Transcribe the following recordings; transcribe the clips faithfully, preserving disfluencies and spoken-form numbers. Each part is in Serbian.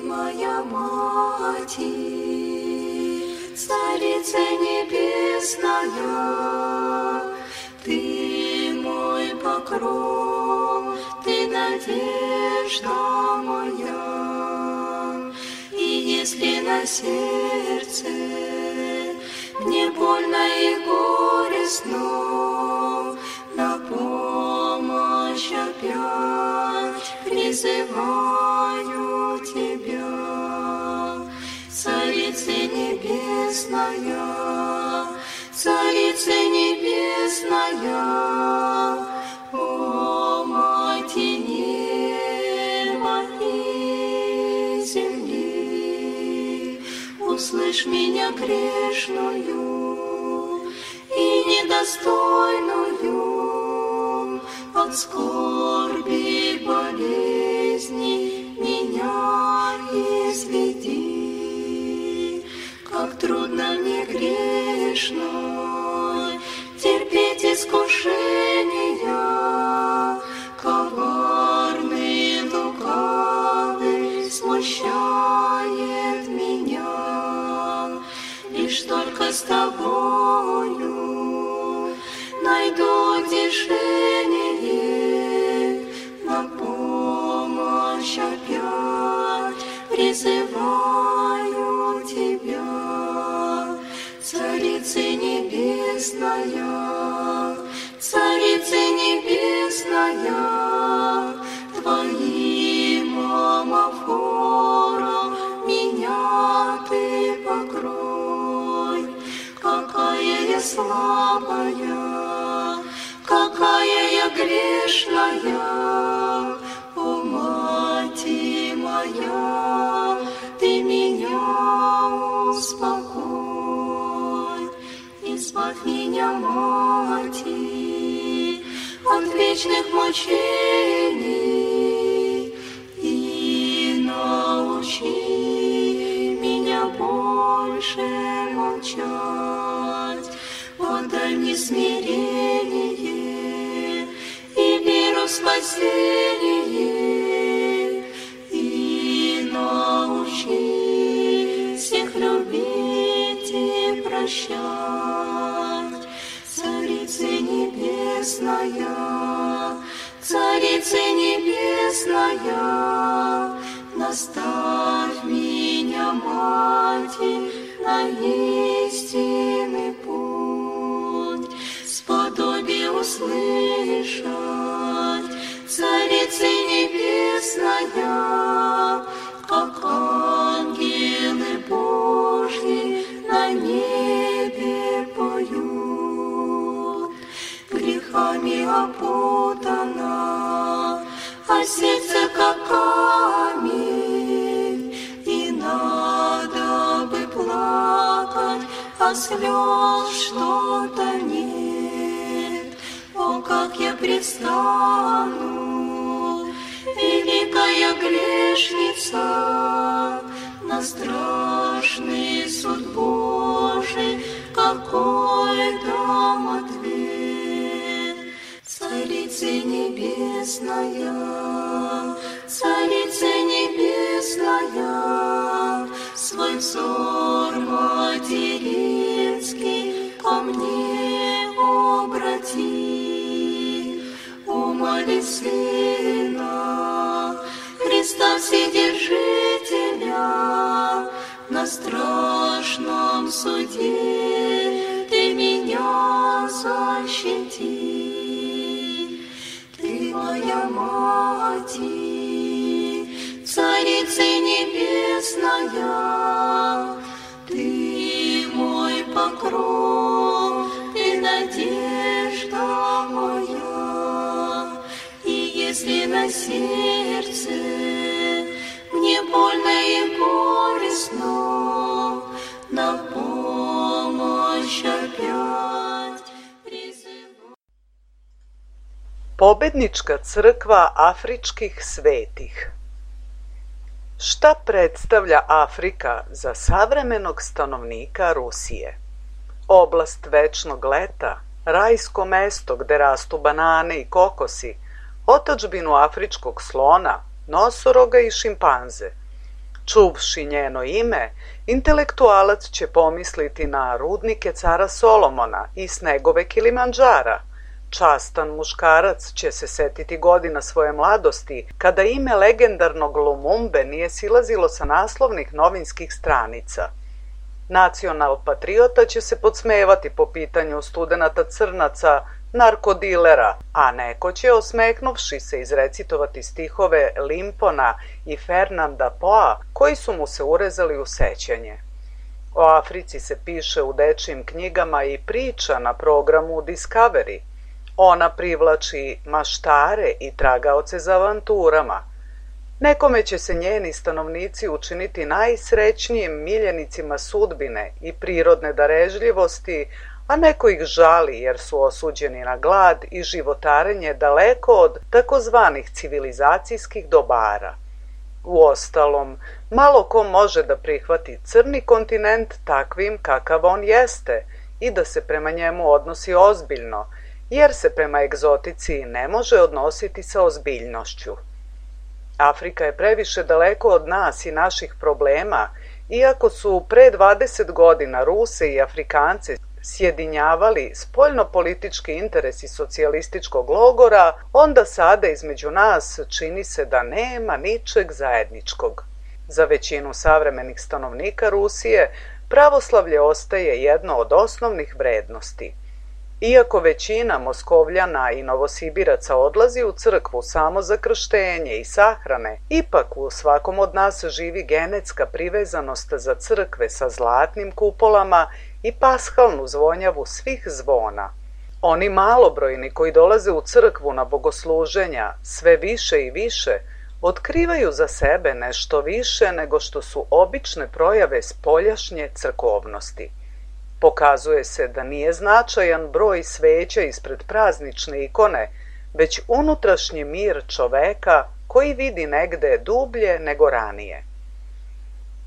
моя Мать, Царица Небесная, Ты мой покров, Ты надежда моя. И если на сердце мне больно и горестно, на помощь опять призываю Тебя. Царица Небесная, Царица Небесная, о Мать неба и земли, услышь меня грешную и недостойную, от скорби болезни меня изведи. Как трудно мне грешной терпеть искушения, коварный, лукавый смущает меня. Лишь только с Тобою найду утешение, на помощь опять призываю Тебя. Царица Небесная, Царица Небесная, Твоим амофором меня Ты покрой. Какая я слабая, какая я грешная, о Мать моя, Ты меня успокой. Избавь меня, Мать, от вечных мучений и научи меня больше молчать. Подай мне смирение и веру в спасение, и научи всех любить и прощать. Царица Небесная, Царица Небесная, наставь меня, Мать, на истинный путь. Сподоби услышать, Царица Небесная, как ангелы Божьи на небе поют. Грехами опутана, а сердце как камень, и надо бы плакать, а слез что-то нет. О, как я предстану, великая грешница, на страшный суд Божий, какой дам ответ. Царица Небесная, Царица Небесная, свой взор материнский ко мне обрати. Умоли Сына Христа Вседержителя, на страшном суде Ты меня защити. Ты моя Мать, Царица Небесная, Ты мой покров, Ты надежда моя. И если на сердце мне больно и горестно, на помощь опять призываю. Pobednička crkva afričkih svetih. Šta predstavlja Afrika za savremenog stanovnika Rusije? Oblast večnog leta, rajsko mesto gde rastu banane i kokosi, otadžbinu afričkog slona, nosoroga i šimpanze. Čuvši njeno ime, intelektualac će pomisliti na rudnike cara Solomona i snegove Kilimandžara. Častan muškarac će se setiti godina svoje mladosti, kada ime legendarnog Lumumbe nije silazilo sa naslovnih novinskih stranica. Nacional-patriota će se podsmevati po pitanju studenata crnaca, narkodilera, a neko će, osmehnuvši se, izrecitovati stihove Limpona i Fernanda Poa, koji su mu se urezali u sećanje. O Africi se piše u dečijim knjigama i priča na programu Discovery. Ona privlači maštare i tragaoce za avanturama. Nekome će se njeni stanovnici učiniti najsrećnijim miljenicima sudbine i prirodne darežljivosti, a neko ih žali jer su osuđeni na glad i životarenje daleko od takozvanih civilizacijskih dobara. Uostalom, malo ko može da prihvati crni kontinent takvim kakav on jeste i da se prema njemu odnosi ozbiljno, jer se prema egzotici ne može odnositi sa ozbiljnošću. Afrika je previše daleko od nas i naših problema, iako su pre dvadeset godina Ruse i Afrikance sjedinjavali spoljno-politički interesi socijalističkog logora, onda sada između nas čini se da nema ničeg zajedničkog. Za većinu savremenih stanovnika Rusije pravoslavlje ostaje jedno od osnovnih vrednosti. Iako većina Moskovljana i Novosibiraca odlazi u crkvu samo za krštenje i sahrane, ipak u svakom od nas živi genetska privezanost za crkve sa zlatnim kupolama i pashalnu zvonjavu svih zvona. Oni malobrojni koji dolaze u crkvu na bogosluženja sve više i više otkrivaju za sebe nešto više nego što su obične projave spoljašnje crkovnosti. Pokazuje se da nije značajan broj sveća ispred praznične ikone, već unutrašnji mir čoveka koji vidi negde dublje nego ranije.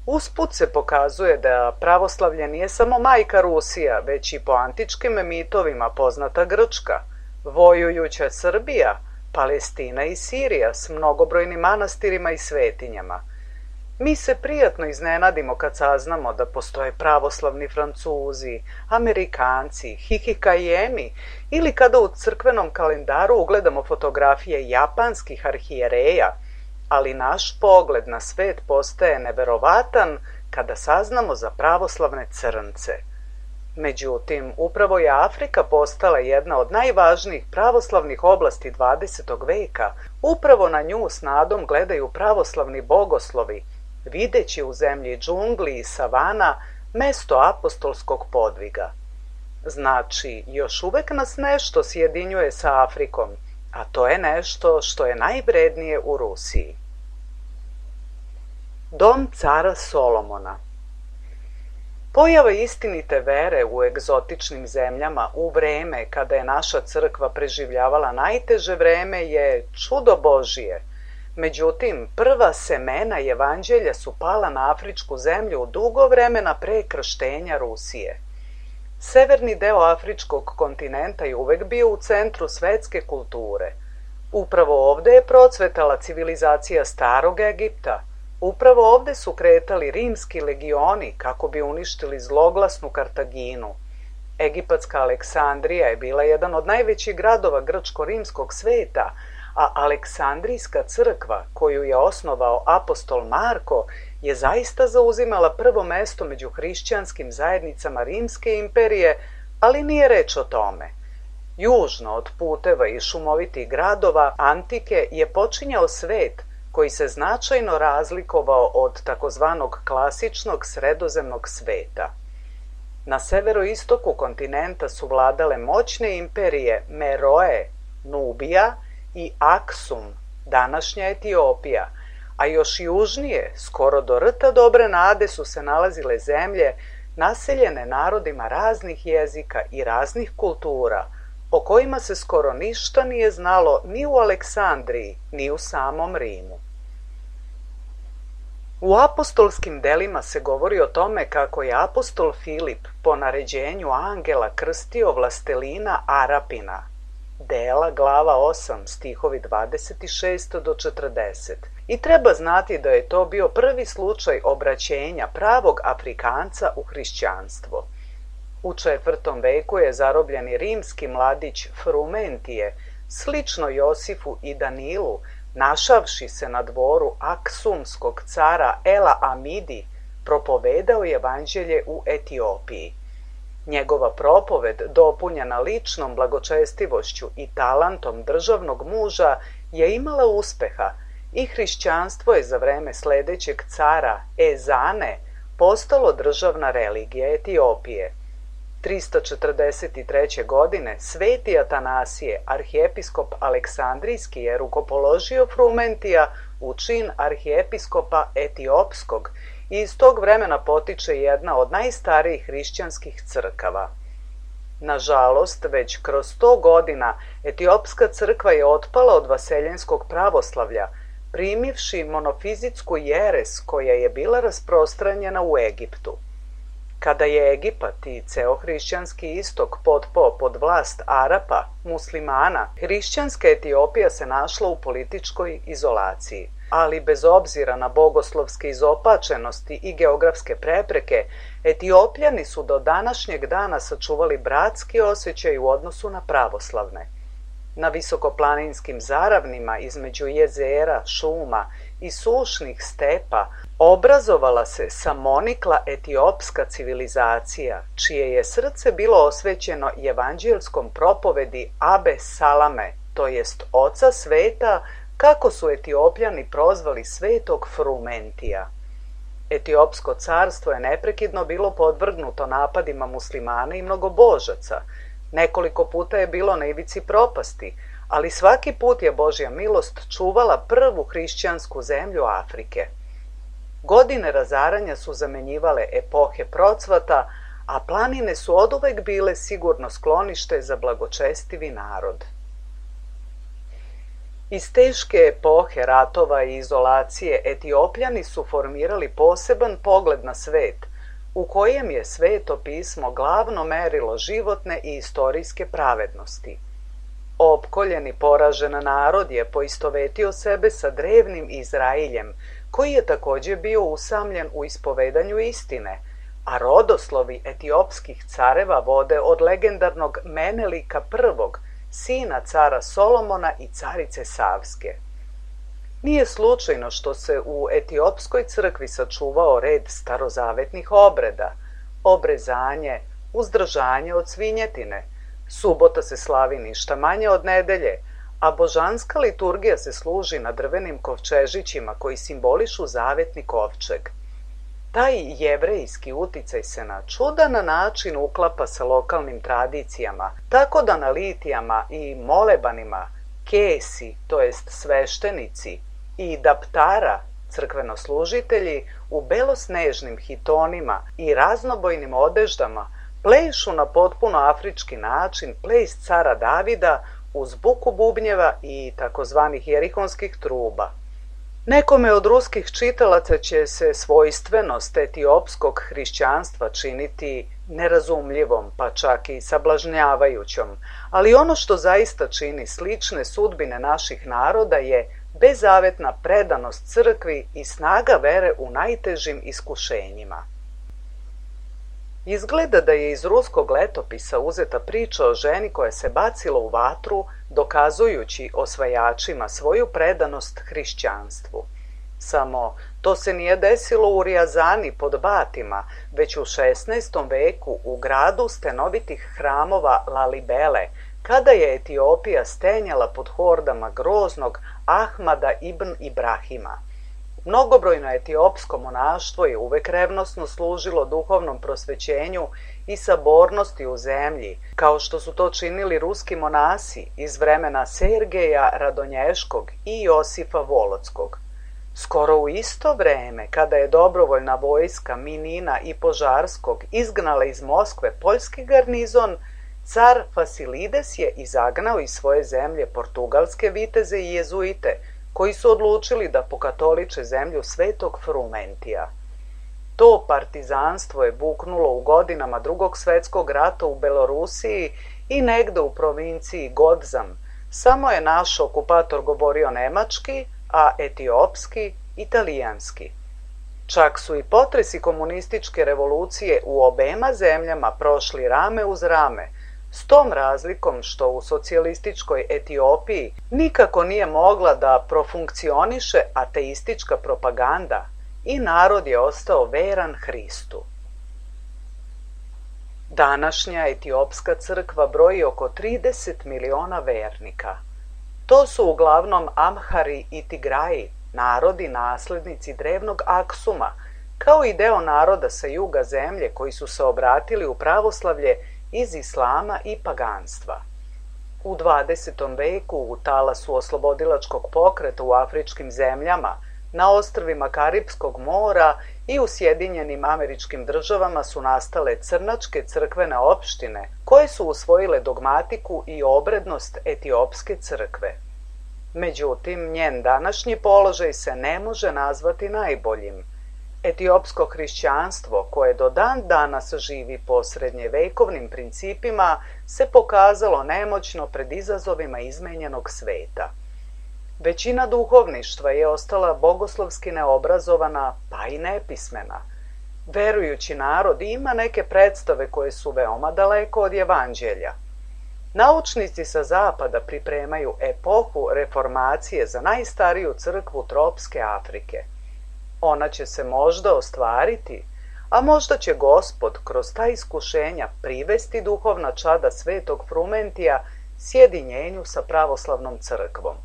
Usput se pokazuje da pravoslavlje nije samo majka Rusija, već i po antičkim mitovima poznata Grčka, vojujuća Srbija, Palestina i Sirija s mnogobrojnim manastirima i svetinjama. Mi se prijatno iznenadimo kad saznamo da postoje pravoslavni Francuzi, Amerikanci, Hihikajemi ili kada u crkvenom kalendaru ugledamo fotografije japanskih arhijereja, ali naš pogled na svet postaje neverovatan kada saznamo za pravoslavne crnce. Međutim, upravo je Afrika postala jedna od najvažnijih pravoslavnih oblasti dvadesetog veka. Upravo na nju s nadom gledaju pravoslavni bogoslovi, videći u zemlji džungli i savana mesto apostolskog podviga. Znači, još uvek nas nešto sjedinjuje sa Afrikom, a to je nešto što je najvrednije u Rusiji. Dom cara Solomona. Pojava istinite vere u egzotičnim zemljama u vreme kada je naša crkva preživljavala najteže vreme je čudo Božije. Međutim, prva semena evanđelja su pala na afričku zemlju dugo vremena pre krštenja Rusije. Severni deo afričkog kontinenta je uvek bio u centru svetske kulture. Upravo ovde je procvetala civilizacija starog Egipta. Upravo ovde su kretali rimski legioni kako bi uništili zloglasnu Kartaginu. Egipatska Aleksandrija je bila jedan od najvećih gradova grčko-rimskog sveta, a Aleksandrijska crkva, koju je osnovao apostol Marko, je zaista zauzimala prvo mesto među hrišćanskim zajednicama Rimske imperije, ali nije reč o tome. Južno od puteva i šumovitih gradova antike je počinjao svet koji se značajno razlikovao od takozvanog klasičnog sredozemnog sveta. Na severoistoku kontinenta su vladale moćne imperije Meroe, Nubija i Aksum, današnja Etiopija, a još južnije, skoro do rta Dobre nade, su se nalazile zemlje naseljene narodima raznih jezika i raznih kultura, o kojima se skoro ništa nije znalo ni u Aleksandriji, ni u samom Rimu. U apostolskim delima se govori o tome kako je apostol Filip po naređenju angela krstio vlastelina Arapina, dela glava osam, stihovi dvadeset šest do četrdeset, i treba znati da je to bio prvi slučaj obraćenja pravog Afrikanca u hrišćanstvo. U četvrtom veku je zarobljeni rimski mladić Frumentije, slično Josifu i Danilu, našavši se na dvoru aksumskog cara Ela Amidi, propovedao evanđelje u Etiopiji. Njegova propoved, dopunjena ličnom blagočestivošću i talentom državnog muža, je imala uspeha i hrišćanstvo je za vreme sledećeg cara Ezane postalo državna religija Etiopije. trista četrdeset treće. godine sveti Atanasije, arhijepiskop Aleksandrijski, je rukopoložio Frumentija u čin arhijepiskopa Etiopskog i iz tog vremena potiče jedna od najstarijih hrišćanskih crkava. Nažalost, već kroz sto godina etiopska crkva je otpala od vaseljenskog pravoslavlja, primivši monofizitsku jeres koja je bila rasprostranjena u Egiptu. Kada je Egipat i ceo hrišćanski istok potpao pod vlast Arapa, muslimana, hrišćanska Etiopija se našla u političkoj izolaciji. Ali bez obzira na bogoslovske izopačenosti i geografske prepreke, Etiopljani su do današnjeg dana sačuvali bratski osjećaj u odnosu na pravoslavne. Na visokoplaninskim zaravnima između jezera, šuma i sušnih stepa obrazovala se samonikla etiopska civilizacija, čije je srce bilo osvećeno evanđelskom propovedi Abe Salame, to jest oca sveta, kako su Etiopljani prozvali svetog Frumentija. Etiopsko carstvo je neprekidno bilo podvrgnuto napadima muslimana i mnogobožaca. Nekoliko puta je bilo na ivici propasti, ali svaki put je Božja milost čuvala prvu hrišćansku zemlju Afrike. Godine razaranja su zamenjivale epohe procvata, a planine su oduvek bile sigurno sklonište za blagočestivi narod. Iz teške epohe ratova i izolacije Etiopljani su formirali poseban pogled na svet, u kojem je Sveto pismo glavno merilo životne i istorijske pravednosti. Opkoljen i poražen narod je poistovetio sebe sa drevnim Izrailjem, koji je takođe bio usamljen u ispovedanju istine, a rodoslovi etiopskih careva vode od legendarnog Menelika prvog, sina cara Solomona i carice Savske. Nije slučajno što se u etiopskoj crkvi sačuvao red starozavetnih obreda, obrezanje, uzdržanje od svinjetine, subota se slavi ništa manje od nedelje, a božanska liturgija se služi na drvenim kovčežićima koji simbolišu zavetni kovčeg. Taj jevrejski uticaj se na čudan način uklapa sa lokalnim tradicijama, tako da na litijama i molebanima kesi, to jest sveštenici, i daptara, crkvenoslužitelji, u belosnežnim hitonima i raznobojnim odeždama plešu na potpuno afrički način ples cara Davida uz buku bubnjeva i takozvanih jerihonskih truba. Nekome od ruskih čitalaca će se svojstvenost etiopskog hrišćanstva činiti nerazumljivom, pa čak i sablažnjavajućom, ali ono što zaista čini slične sudbine naših naroda je bezavetna predanost crkvi i snaga vere u najtežim iskušenjima. Izgleda da je iz ruskog letopisa uzeta priča o ženi koja se bacila u vatru, dokazujući osvajačima svoju predanost hrišćanstvu. Samo to se nije desilo u Rijazani pod Batima, već u šesnaestom veku u gradu stenovitih hramova Lalibele, kada je Etiopija stenjala pod hordama groznog Ahmada ibn Ibrahima. Mnogobrojno etiopsko monaštvo je uvek revnosno služilo duhovnom prosvećenju i sabornosti u zemlji, kao što su to činili ruski monasi iz vremena Sergeja Radonješkog i Josifa Volodskog. Skoro u isto vreme, kada je dobrovoljna vojska Minina i Požarskog izgnala iz Moskve poljski garnizon, car Fasilides je izagnao iz svoje zemlje portugalske viteze i jezuite, koji su odlučili da pokatoliče zemlju svetog Frumentija. To partizanstvo je buknulo u godinama Drugog svetskog rata u Belorusiji i negde u provinciji Godzam. Samo je naš okupator govorio nemački, a etiopski italijanski. Čak su i potresi komunističke revolucije u obema zemljama prošli rame uz rame, s tom razlikom što u socijalističkoj Etiopiji nikako nije mogla da profunkcioniše ateistička propaganda i narod je ostao veran Hristu. Današnja etiopska crkva broji oko trideset miliona vernika. To su uglavnom Amhari i Tigraji, narodi naslednici drevnog Aksuma, kao i deo naroda sa juga zemlje koji su se obratili u pravoslavlje iz islama i paganstva. U dvadesetom veku u talasu oslobodilačkog pokreta u afričkim zemljama, na ostrvima Karipskog mora i u Sjedinjenim Američkim Državama su nastale crnačke crkvene opštine koje su usvojile dogmatiku i obrednost etiopske crkve. Međutim, njen današnji položaj se ne može nazvati najboljim. Etiopsko hrišćanstvo, koje do dan danas živi po srednjevekovnim principima, se pokazalo nemoćno pred izazovima izmenjenog sveta. Većina duhovništva je ostala bogoslovski neobrazovana, pa i nepismena. Verujući narod ima neke predstave koje su veoma daleko od evanđelja. Naučnici sa zapada pripremaju epohu reformacije za najstariju crkvu tropske Afrike. Ona će se možda ostvariti, a možda će Gospod kroz ta iskušenja privesti duhovna čada svetog Frumentija sjedinjenju sa pravoslavnom crkvom.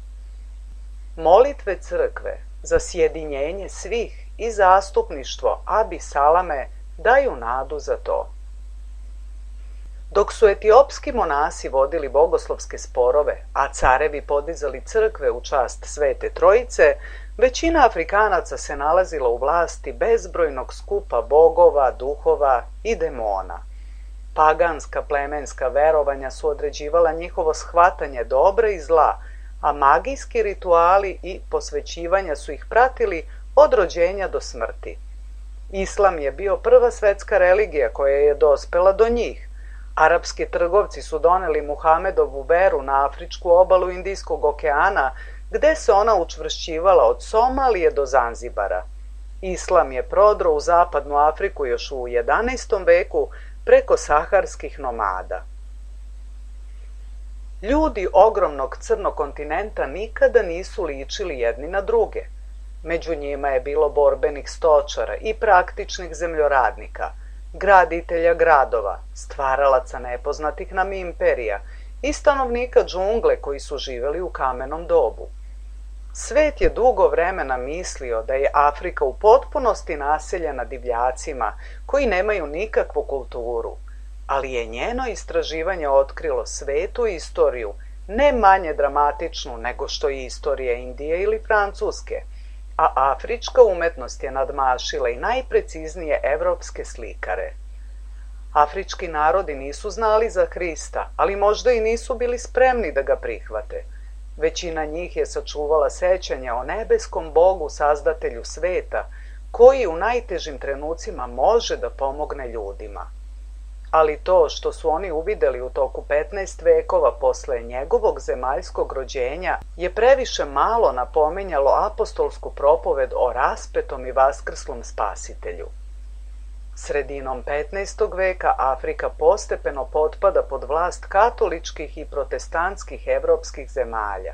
Molitve crkve za sjedinjenje svih i zastupništvo Abi Salame daju nadu za to. Dok su etiopski monasi vodili bogoslovske sporove, a carevi podizali crkve u čast Svete Trojice, većina Afrikanaca se nalazila u vlasti bezbrojnog skupa bogova, duhova i demona. Paganska plemenska verovanja su određivala njihovo shvatanje dobra i zla, a magijski rituali i posvećivanja su ih pratili od rođenja do smrti. Islam je bio prva svetska religija koja je dospela do njih. Arapski trgovci su doneli Muhamedovu veru na afričku obalu Indijskog okeana, gde se ona učvršćivala od Somalije do Zanzibara. Islam je prodro u zapadnu Afriku još u jedanaestom veku preko saharskih nomada. Ljudi ogromnog crnog kontinenta nikada nisu ličili jedni na druge. Među njima je bilo borbenih stočara i praktičnih zemljoradnika, graditelja gradova, stvaralaca nepoznatih nam imperija i stanovnika džungle koji su živeli u kamenom dobu. Svet je dugo vremena mislio da je Afrika u potpunosti naseljena divljacima koji nemaju nikakvu kulturu, ali je njeno istraživanje otkrilo svetu istoriju ne manje dramatičnu nego što je istorija Indije ili Francuske, a afrička umetnost je nadmašila i najpreciznije evropske slikare. Afrički narodi nisu znali za Hrista, ali možda i nisu bili spremni da ga prihvate. Većina njih je sačuvala sećanje o nebeskom Bogu, sazdatelju sveta, koji u najtežim trenucima može da pomogne ljudima. Ali to što su oni uvideli u toku petnaest vekova posle njegovog zemaljskog rođenja je previše malo napominjalo apostolsku propoved o raspetom i vaskrslom spasitelju. Sredinom petnaestog veka Afrika postepeno potpada pod vlast katoličkih i protestantskih evropskih zemalja.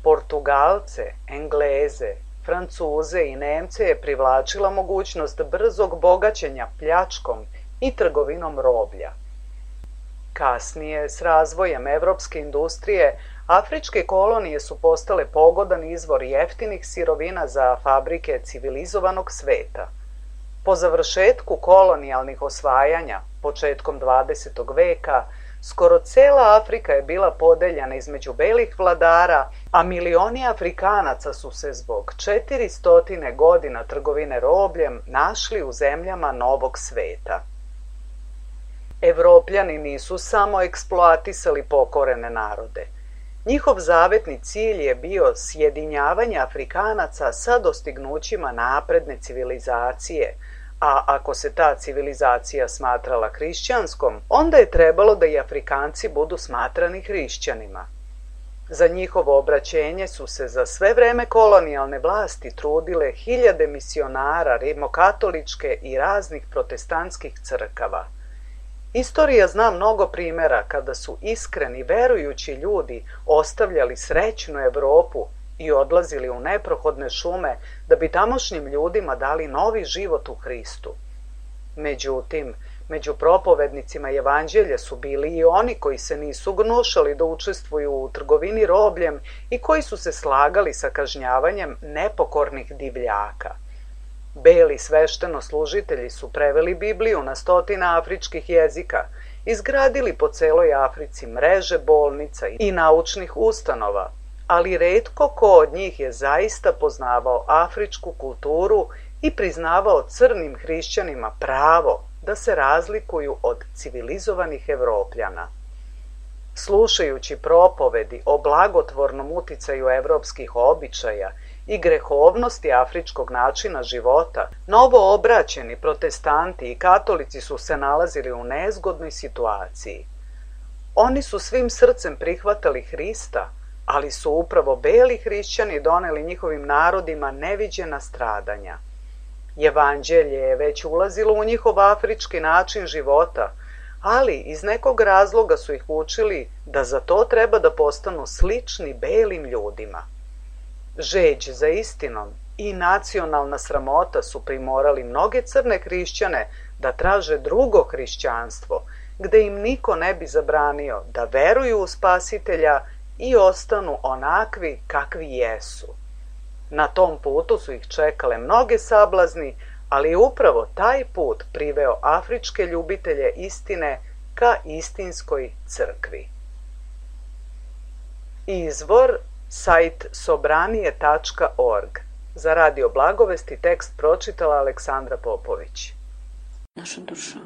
Portugalce, Engleze, Francuze i Nemce je privlačila mogućnost brzog bogaćenja pljačkom i trgovinom roblja. Kasnije, s razvojem evropske industrije, afričke kolonije su postale pogodan izvor jeftinih sirovina za fabrike civilizovanog sveta. Po završetku kolonijalnih osvajanja, početkom dvadesetog veka, skoro cela Afrika je bila podeljena između belih vladara, a milioni Afrikanaca su se zbog četiristo godina trgovine robljem našli u zemljama Novog sveta. Evropljani nisu samo eksploatisali pokorene narode. Njihov zavetni cilj je bio sjedinjavanje Afrikanaca sa dostignućima napredne civilizacije, a ako se ta civilizacija smatrala hrišćanskom, onda je trebalo da i Afrikanci budu smatrani hrišćanima. Za njihovo obraćenje su se za sve vreme kolonijalne vlasti trudile hiljade misionara rimokatoličke i raznih protestantskih crkava. Istorija zna mnogo primjera kada su iskreni, verujući ljudi ostavljali srećnu Evropu i odlazili u neprohodne šume da bi tamošnjim ljudima dali novi život u Hristu. Međutim, među propovednicima evanđelja su bili i oni koji se nisu gnušali da učestvuju u trgovini robljem i koji su se slagali sa kažnjavanjem nepokornih divljaka. Beli sveštenoslužitelji su preveli Bibliju na stotina afričkih jezika, izgradili po celoj Africi mreže bolnica i naučnih ustanova, ali retko ko od njih je zaista poznavao afričku kulturu i priznavao crnim hrišćanima pravo da se razlikuju od civilizovanih Evropljana. Slušajući propovedi o blagotvornom uticaju evropskih običaja i grehovnosti afričkog načina života, novo obraćeni protestanti i katolici su se nalazili u nezgodnoj situaciji. Oni su svim srcem prihvatali Hrista, ali su upravo beli hrišćani doneli njihovim narodima neviđena stradanja. Evanđelje je već ulazilo u njihov afrički način života, ali iz nekog razloga su ih učili da za to treba da postanu slični belim ljudima. Žeđ za istinom i nacionalna sramota su primorali mnoge crne hrišćane da traže drugo hrišćanstvo, gde im niko ne bi zabranio da veruju u Spasitelja i ostanu onakvi kakvi jesu. Na tom putu su ih čekale mnoge sablazni, ali upravo taj put priveo afričke ljubitelje istine ka istinskoj crkvi. Izvor sajt sobranije tačka org. Za Radio Blagovesti tekst pročitala Aleksandra Popović. Наша душа